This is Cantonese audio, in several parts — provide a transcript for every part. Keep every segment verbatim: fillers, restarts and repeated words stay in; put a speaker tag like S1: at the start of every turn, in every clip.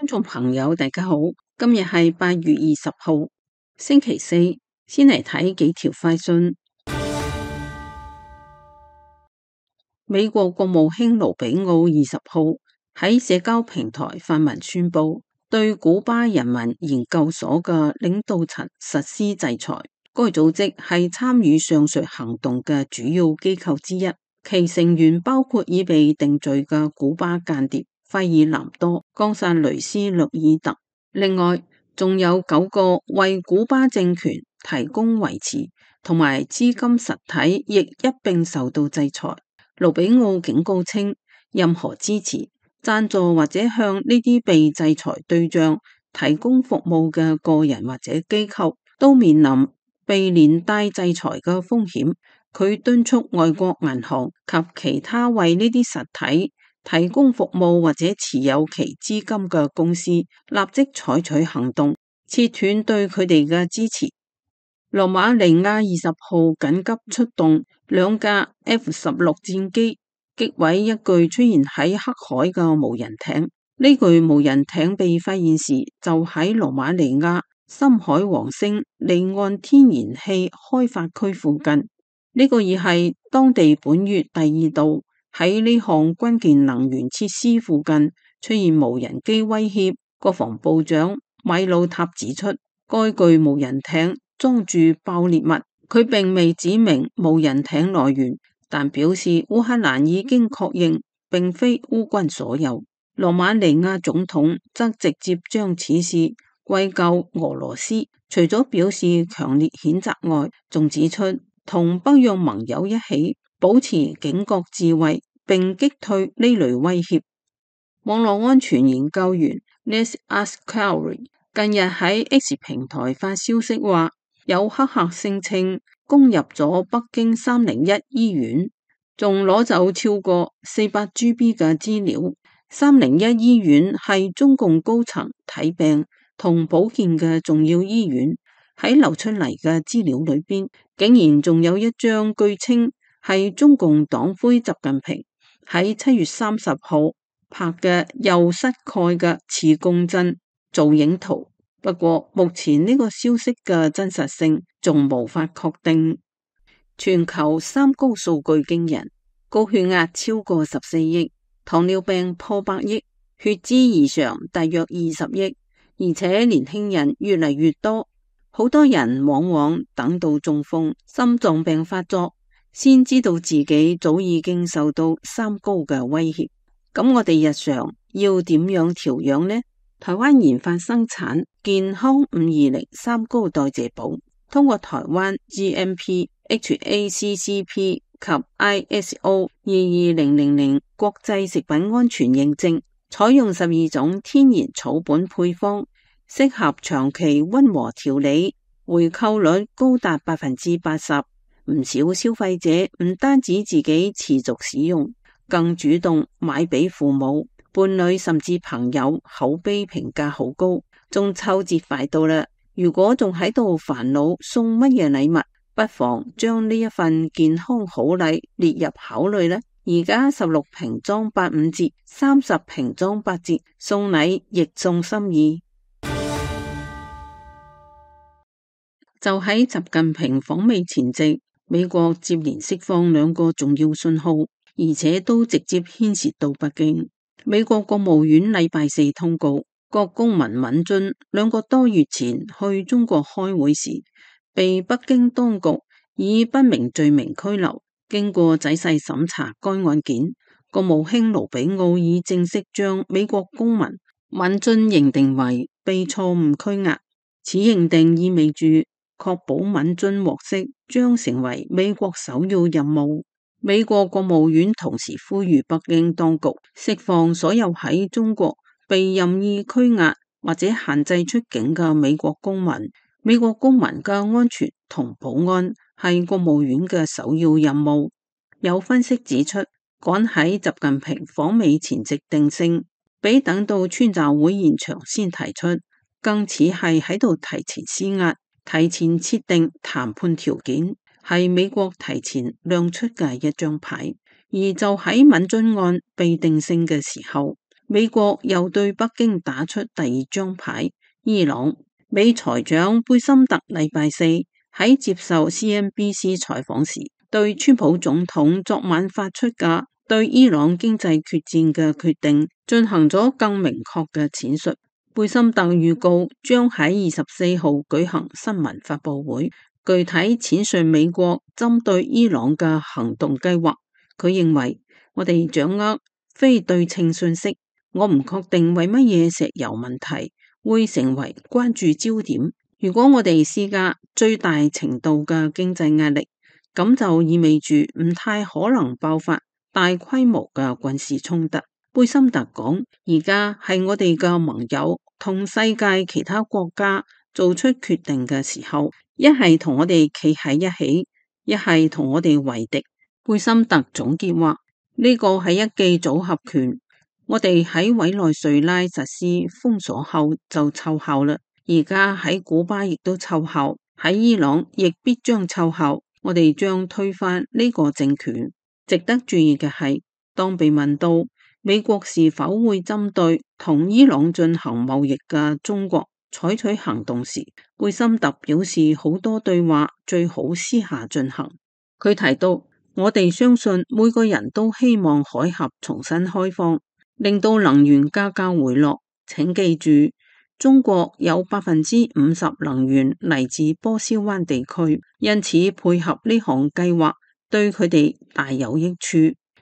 S1: 觀眾朋友，大家好，今日係八月二十號，星期四，先嚟睇幾條快訊。美國國務卿盧比奧二十號喺社交平台發文宣布，對古巴人民研究所嘅領導層實施制裁。該組織係參與上述行動嘅主要機構之一，其成員包括已被定罪嘅古巴間諜費爾南多·岡薩雷斯·略爾特，另外仲有九個為古巴政權提供維持同埋資金實體，亦一併受到制裁。盧比奧警告稱，任何支持、贊助或者向呢啲被制裁對象提供服務嘅個人或者機構，都面臨被連帶制裁嘅風險。佢敦促外國銀行及其他為呢啲實體提供服務或者持有其資金嘅公司，立即採取行動，切斷對佢哋嘅支持。羅馬尼亞二十號緊急出動兩架 F 十六戰機，擊毀一具出現喺黑海嘅無人艇。呢具無人艇被發現時，就喺羅馬尼亞深海王星離岸天然氣開發區附近。呢個已係當地本月第二度喺呢項關鍵能源設施附近出現無人機威脅。國防部長米魯塔指出，該具無人艇裝住爆裂物，佢並未指明無人艇來源，但表示烏克蘭已經確認並非烏軍所有。羅馬尼亞總統則直接將此事歸咎俄羅斯，除咗表示強烈譴責外，仲指出同北約盟友一起保持警覺自衛，並擊退呢類威脅。網絡安全研究員 Les Ascari 近日喺 X 平台發消息話，有黑客聲稱攻入咗北京三零一醫院，仲攞走超過四百 G B 嘅資料。三零一醫院係中共高層睇病同保健嘅重要醫院，喺流出嚟嘅資料裏邊，竟然仲有一張據稱係中共黨魁習近平喺七月三十號拍嘅右膝蓋嘅磁共振造影圖。不過目前呢個消息嘅真實性仲無法確定。全球三高數據驚人，高血壓超過十四億，糖尿病破百億，血脂異常大約二十億，而且年輕人越嚟越多。好多人往往等到中風、心臟病發作，先知道自己早已經受到三高嘅威脅。咁我哋日常要點樣調養呢？台灣研發生產健康五二零三高代謝寶，通過台灣 G M P、H A C C P 及 I S O 二二零零零國際食品安全認證，採用十二種天然草本配方，適合長期溫和調理，回購率高達百分之八十。唔少消費者唔單止自己持續使用，更主動買俾父母、伴侶甚至朋友，口碑評價好高。中秋節快到啦，如果仲喺度煩惱送乜嘢禮物，不妨將呢一份健康好禮列入考慮啦。而家十六瓶裝八五折，三十瓶裝八折，送禮亦送心意。就喺習近平訪美前夕，美國接連釋放兩個重要信號，而且都直接牽涉到北京。美國國務院禮拜四通告，國公民敏津兩個多月前去中國開會時，被北京當局以不明罪名拘留。經過仔細審查該案件，國務卿盧比奧已正式將美國公民敏津認定為被錯誤拘押。此認定意味住確保敏津獲釋將成為美國首要任務。美國國務院同時呼籲北京當局釋放所有喺中國被任意拘押或者限制出境嘅美國公民。美國公民嘅安全同保安係國務院嘅首要任務。有分析指出，趕喺習近平訪美前夕定性，比等到川習會現場先提出，更似係喺度提前施壓，提前設定談判條件，係美國提前亮出嘅一張牌。而就喺敏津案被定性嘅時候，美國又對北京打出第二張牌。伊朗美財長貝森特禮拜四喺接受 C N B C 採訪時，對川普總統昨晚發出嘅對伊朗經濟決戰嘅決定進行咗更明確嘅闡述。貝森特預告將喺二十四號舉行新聞發佈會，具體闡述美國針對伊朗嘅行動計劃。佢認為我哋掌握非對稱信息，我唔確定為乜嘢石油問題會成為關注焦點。如果我哋施加最大程度嘅經濟壓力，咁就意味住唔太可能爆發大規模嘅軍事衝突。貝森特講，而家係我哋嘅盟友同世界其他國家做出決定嘅時候，一係同我哋企喺一起，一係同我哋為敵。貝森特總結話，呢個係一記組合拳，我哋喺委內瑞拉實施封鎖後就奏效啦，而家喺古巴亦都奏效，喺伊朗亦必將奏效，我哋將推翻呢個政權。值得注意嘅係，當被問到美國是否會針對同伊朗進行貿易嘅中國採取行動時，貝森特表示好多對話最好私下進行。佢提到，我哋相信每個人都希望海峽重新開放，令到能源價格回落。請記住，中國有百分之五十能源嚟自波斯灣地區，因此配合呢項計劃對佢哋大有益處。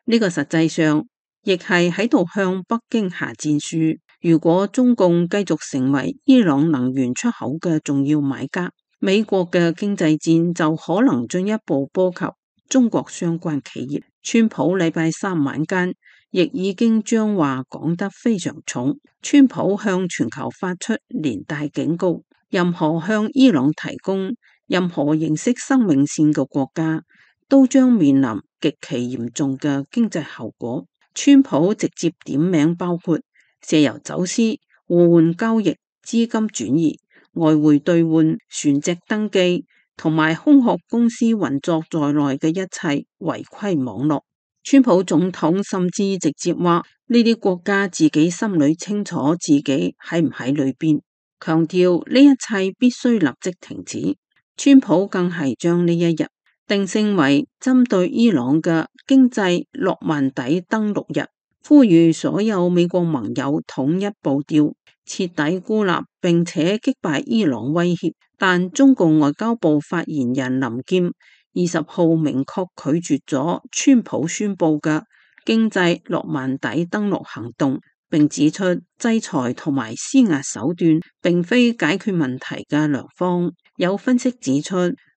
S1: 呢個實際上亦係喺度向北京下戰書。如果中共繼續成為伊朗能源出口嘅重要買家，美國嘅經濟戰就可能進一步波及中國相關企業。川普禮拜三晚間亦已經將話講得非常重。川普向全球發出連帶警告，任何向伊朗提供任何形式生命線嘅國家都將面臨極其嚴重嘅經濟後果。川普直接點名包括石油走私、互換交易、資金轉移、外匯兌換、船隻登記同埋空殼公司運作在內嘅一切違規網絡。川普總統甚至直接話呢啲國家自己心裏清楚自己喺唔喺裏邊，強調呢一切必須立即停止。川普更係將呢一日定性為針對伊朗嘅經濟諾曼底登陸日，呼籲所有美國盟友統一步調，徹底孤立並且擊敗伊朗威脅。但中共外交部發言人林劍二十號明確拒絕咗川普宣布嘅經濟諾曼底登陸行動，並指出制裁同埋施壓手段並非解決問題嘅良方。有分析指出，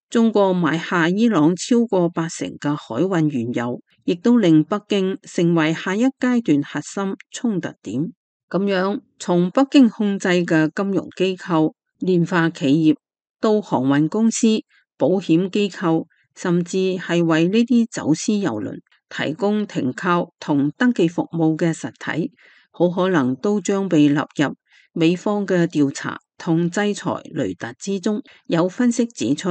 S1: 中國買下伊朗超過八成嘅海運原油，亦都令北京成為下一階段核心衝突點。咁樣，從北京控制嘅金融機構、煉化企業到航運公司、保險機構，甚至係為呢啲走私郵輪提供停靠同登記服務嘅實體，好可能都將被納入美方嘅調查同制裁雷達之中。有分析指出，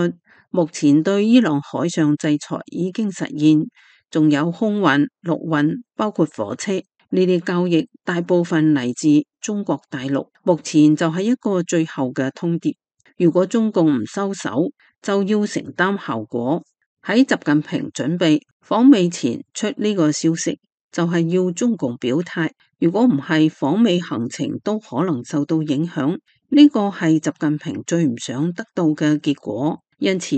S1: 目前對伊朗海上制裁已經實現，仲有空運、陸運，包括火車，呢啲交易大部分嚟自中國大陸。目前就係一個最後嘅通牒，如果中共唔收手，就要承擔後果。喺習近平準備訪美前出呢個消息，就係要中共表態，如果唔係，訪美行程都可能受到影響。呢個係習近平最唔想得到嘅結果。因此，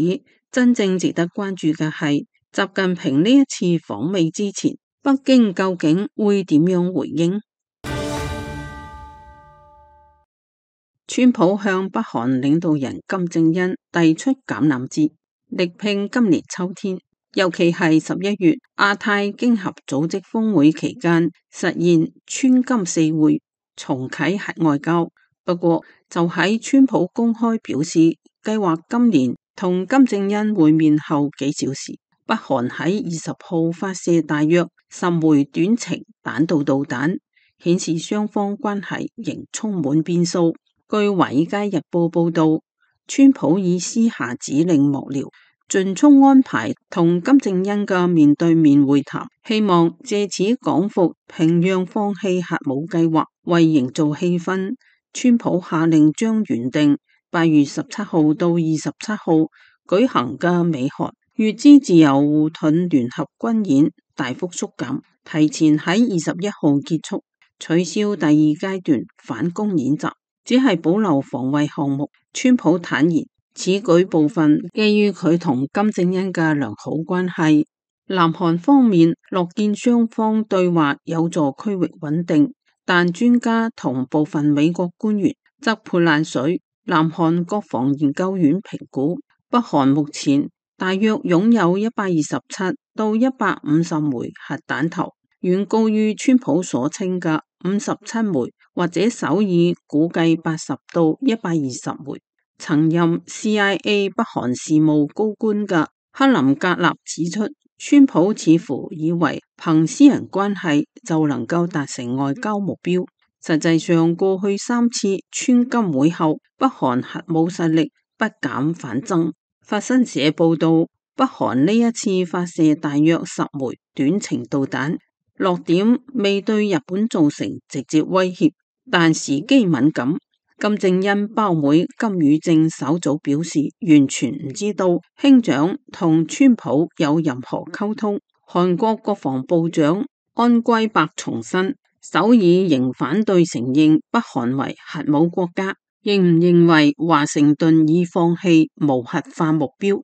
S1: 真正值得關注嘅係習近平呢一次訪美之前，北京究竟會點樣回應？川普向北韓領導人金正恩遞出橄欖枝，力拼今年秋天，尤其係十一月亞太經合組織峰會期間實現川金四會，重啟核外交。不過就喺川普公開表示計劃今年同金正恩會面後幾小時，北韓喺二十號發射大約十枚短程彈道導彈，顯示雙方關係仍充滿變數。據華爾街日報報道，川普已私下指令幕僚盡速安排同金正恩嘅面對面會談，希望借此講服平壤放棄核武計劃。為營造氣氛，川普下令將原定八月十七號到二十七號舉行嘅美韓乙支自由護盾聯合軍演大幅縮減，提前喺二十一號結束，取消第二階段反攻演習，只係保留防衛項目。川普坦言，此舉部分基於佢同金正恩嘅良好關係。南韓方面樂見雙方對話有助區域穩定，但專家同部分美國官員則潑冷水。南韓國防研究院評估，北韓目前大約擁有一百二十七到一百五十枚核彈頭，遠高於川普所稱嘅五十七枚，或者首爾估計八十到一百二十枚。曾任 C I A 北韓事務高官嘅克林格納指出，川普似乎以為憑私人關係就能夠達成外交目標，實際上過去三次川金會後，北韓核武實力不減反增。法新社報道，北韓呢一次發射大約十枚短程導彈，落點未對日本造成直接威脅，但時機敏感。金正恩胞妹金與正稍早表示，完全唔知道兄長同川普有任何溝通。韓國國防部長安圭伯重申，首爾仍反對承認北韓為核武國家，認唔認為華盛頓已放棄無核化目標。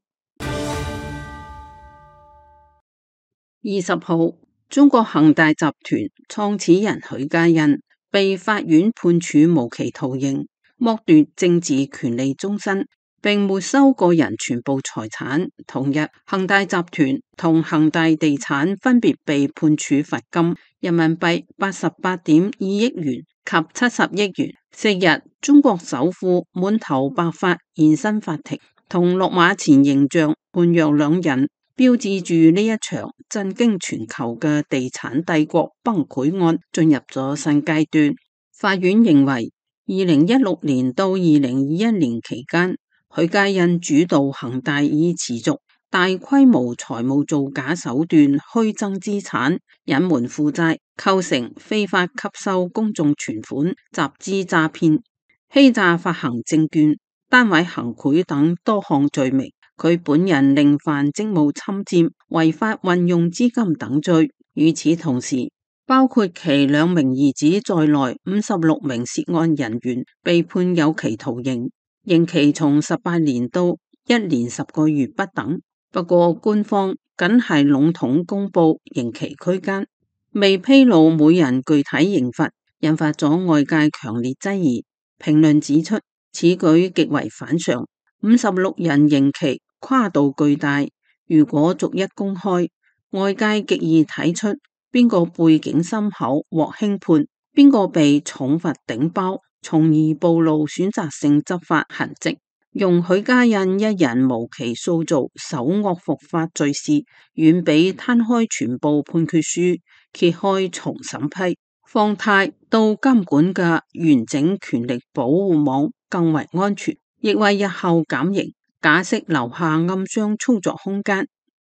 S1: 二十號，中國恒大集團創始人許家印被法院判處無期徒刑，剝奪政治權利終身，並沒收個人全部財產。同日，恒大集團同恒大地產分別被判處罰金人民幣八十八點二億元及七十億元。昔日，中國首富滿頭白髮現身法庭，同落馬前形象判若兩人，標誌住呢一場震驚全球嘅地產帝國崩潰案進入咗新階段。法院認為，二零一六年到二零二一年期間，許家印主導恒大以持續大規模財務造假手段虛增資產、隱瞞負債，構成非法吸收公眾存款、集資詐騙、欺詐發行證券、單位行賄等多項罪名。佢本人另犯職務侵佔、違法運用資金等罪。與此同時，包括其兩名兒子在內五十六名涉案人員被判有期徒刑，刑期從十八年到一年十個月不等。不過官方僅係籠統公布刑期區間，未披露每人具體刑罰，引發咗外界強烈質疑。評論指出，此舉極為反常，五十六人刑期跨度巨大，如果逐一公開，外界極易睇出邊個背景深厚獲輕判，邊個被重罰頂包，從而暴露選擇性執法痕跡。用許家印一人無期塑造首惡伏法罪事，遠比攤開全部判決書揭開重審批放貸到監管嘅完整權力保護網更為安全，亦為日後減刑假釋留下暗箱操作空間。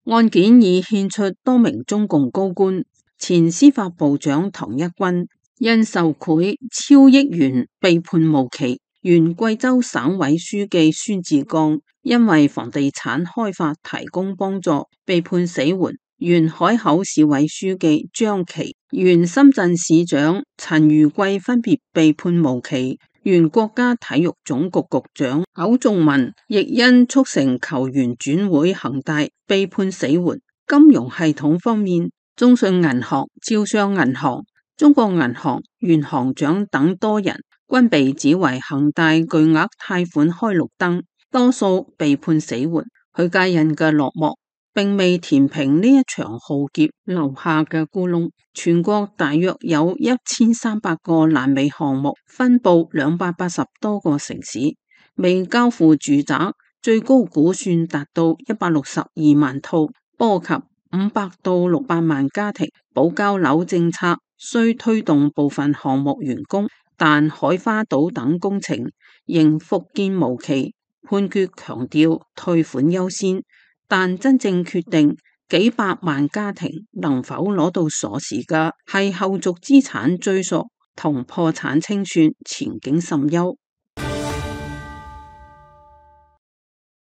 S1: 案件已獻出多名中共高官，前司法部長唐一軍因受賄超億元被判無期，原貴州省委書記孫志剛因為房地產開發提供幫助被判死緩，原海口市委書記張琪、原深圳市長陳如貴分別被判無期，原國家體育總局局長苟仲文亦因促成球員轉會恒大被判死緩。金融系統方面，中信銀行、招商銀行、中國銀行原行長等多人均被指為恒大巨額貸款開綠燈，多數被判死緩。許家印嘅落幕並未填平呢一場浩劫留下嘅窟窿。全國大約有一千三百個爛尾項目，分布兩百八十多個城市，未交付住宅最高估算達到一百六十二萬套，波及五百到六百萬家庭。保交樓政策雖推動部分項目完工，但海花島等工程仍復建無期。判決強調退款優先，但真正決定幾百萬家庭能否攞到鎖匙嘅係後續資產追溯同破產清算，前景甚憂。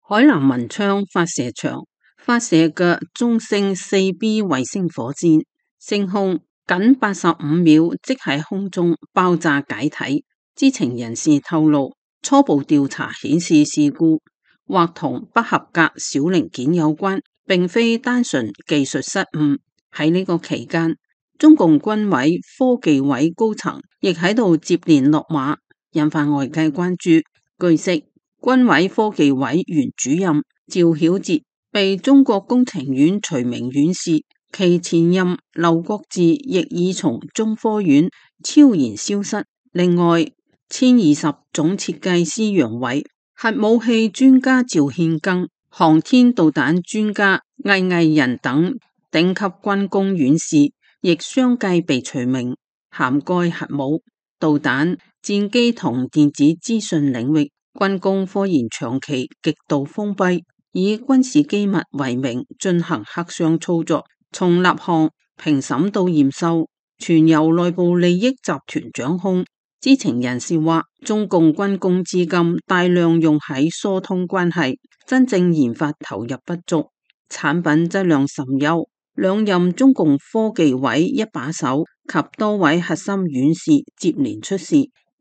S1: 海南文昌發射場發射嘅中星四 B 衛星火箭升空僅八十五秒，即喺空中爆炸解體。知情人士透露，初步調查顯示事故或同不合格小零件有關，並非單純技術失誤。喺呢個期間，中共軍委科技委高層亦喺度接連落馬，引發外界關注。據悉，軍委科技委原主任趙曉哲被中國工程院除名院士，其前任劉國志亦已從中科院悄然消失。另外，殲二十總設計師楊偉、核武器專家趙憲庚、航天導彈專家魏毅仁等頂級軍工院士亦相繼被除名，涵蓋核武、導彈、戰機同電子資訊領域。軍工科研長期極度封閉，以軍事機密為名進行黑箱操作，從立項、評審到驗收，全由內部利益集團掌控。知情人士話，中共軍工資金大量用喺疏通關係，真正研發投入不足，產品質量甚優。兩任中共科技委一把手及多位核心院士接連出事。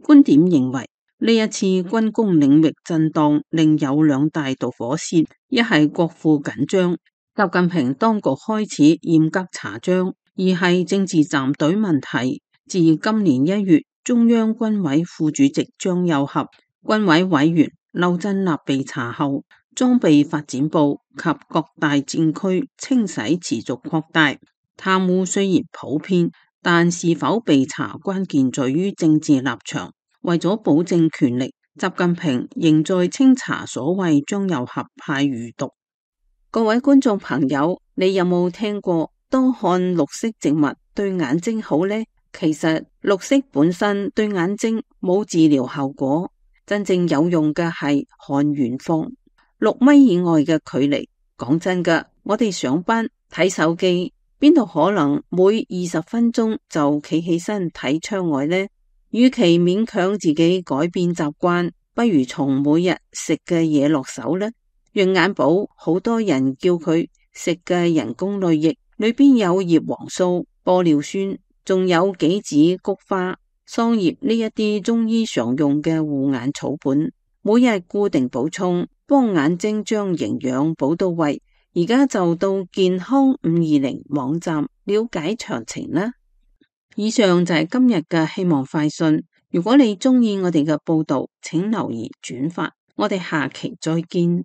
S1: 觀點認為，呢一次軍工領域震盪另有兩大導火線，一係國庫緊張，習近平當局開始嚴格查賬；二係政治站隊問題。自今年一月，中央軍委副主席張又俠、軍委委員劉振立被查後，裝備發展部及各大戰區清洗持續擴大，貪污雖然普遍，但是否被查關鍵在於政治立場。為咗保證權力，習近平仍在清查所謂張又俠派餘毒。各位觀眾朋友，你有冇聽過多看綠色植物對眼睛好呢？其實綠色本身對眼睛冇治療效果，真正有用嘅係看遠方，六米以外嘅距離。講真㗎，我哋上班睇手機，邊度可能每二十分鐘就企起身睇窗外呢？與其勉強自己改變習慣，不如從每日食嘅嘢落手呢。養眼寶好多人叫佢食嘅人工淚液，裏邊有葉黃素、玻尿酸，仲有杞子、菊花、桑葉呢一啲中醫常用嘅護眼草本，每日固定補充，幫眼睛將營養補到位。而家就到健康五二零網站了解詳情啦。以上就係今日嘅希望快訊。如果你鍾意我哋嘅報道，請留言轉發。我哋下期再見。